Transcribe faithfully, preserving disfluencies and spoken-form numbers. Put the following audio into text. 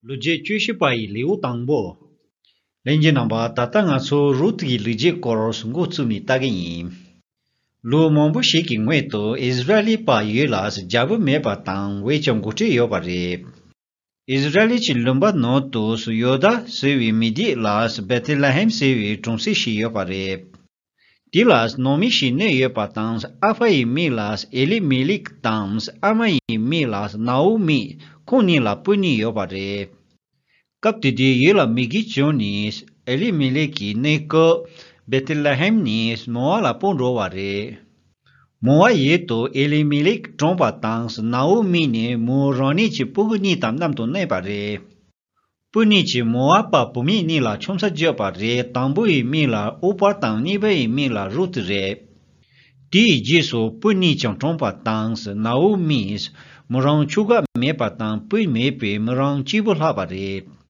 ལོ་རྒྱུས་བཅུ་བཞི་པ་ཡི་ལེའུ་དང་པོ། ལྷན་རྒྱས་རྣམ་པ། ད་ལྟ་ང་ཚོ་རུད་ཀྱི་ལོ་རྒྱུས་སྐོར་འགོ་བཙུགས་ནས་ལྟ་གི་ཡིན། ལོ་མང་པོ་ཞིག་གི་སྔོན་དུ་ཨིསི་ར་ཨེལ་པ་ཡུལ་ལ་རྒྱལ་པོ་མེད་པ་དང་བས་ཀྱང་འགོ་ཁྲིད་ཡོད་པ་རེད། ཨིསི་ར་ཨེལ་གྱི་ལུང་པ་ནང་དུ་ཡོ་དཱ་ཟེར་བའི་མི་སྡེ་ལ་བེ་ཐེ་ལེ་ཧེམ་ཟེར་བའི་གྲོང་གསེབ་ཞིག་ཡོད་པ་རེད། དེ་ལ་ནང་མི་ཞིག་གནས་ཡོད་པ་དང་། ཨ་ཕ་ཡི་མིང་ལ་ཨེ་ལི་མེ་ལེག་དང་། ཨ་མ་ཡི་མིང་ལ་ནའོ་མི། ཁོང་གཉིས་ལ་བུ་གཉིས་ཡོད་པ་རེད། སྐབས་དེ་དུས་ཡུལ་ལ་མེ་གིས་བྱུགས་ནས་ཨེ་ལི་མེ་ལེག་གི་གནས་སྐབས་བེ་ཐེ་ལེ་ཧེམ་ནས་མོ་ཨབ་ལ་སྤོས་འགྲོ་བ་རེད། མོ་ཨབ་ཡུལ་དུ་ཨེ་ལི་མེ་ལེག་གྲོངས་པ་དང་། ནའོ་མི་ནས་མོ་རང་ཉིད་ཀྱི་སྤུ་གུ་གཉིས་དང་མཉམ་དུ་གནས་པ་རེད། སྤུན་གཉིས་ཀྱིས་མོ་ཨབ་པ་བུད་མེད་གཉིས་ལ་ཆུང་ས་བརྒྱབ་པ་རེད། དང་པོ་ཡི་མིང་ལ་ཨོ་པར་དང་གཉིས་པ་ཡི་མིང་ལ་རུད་རེད། དེའི་རྗེས་སུ་སྤུན་གཉིས་ཀྱང་གྲོངས་པ་དང་། ནའོ་མིས་མོ་རང་ཕྱུགས་དགའ་མེད་པ་དང་སྤུན་མེད་པས་མོ་རང་གཅིག་པུ་ལྷག་པ་རེད།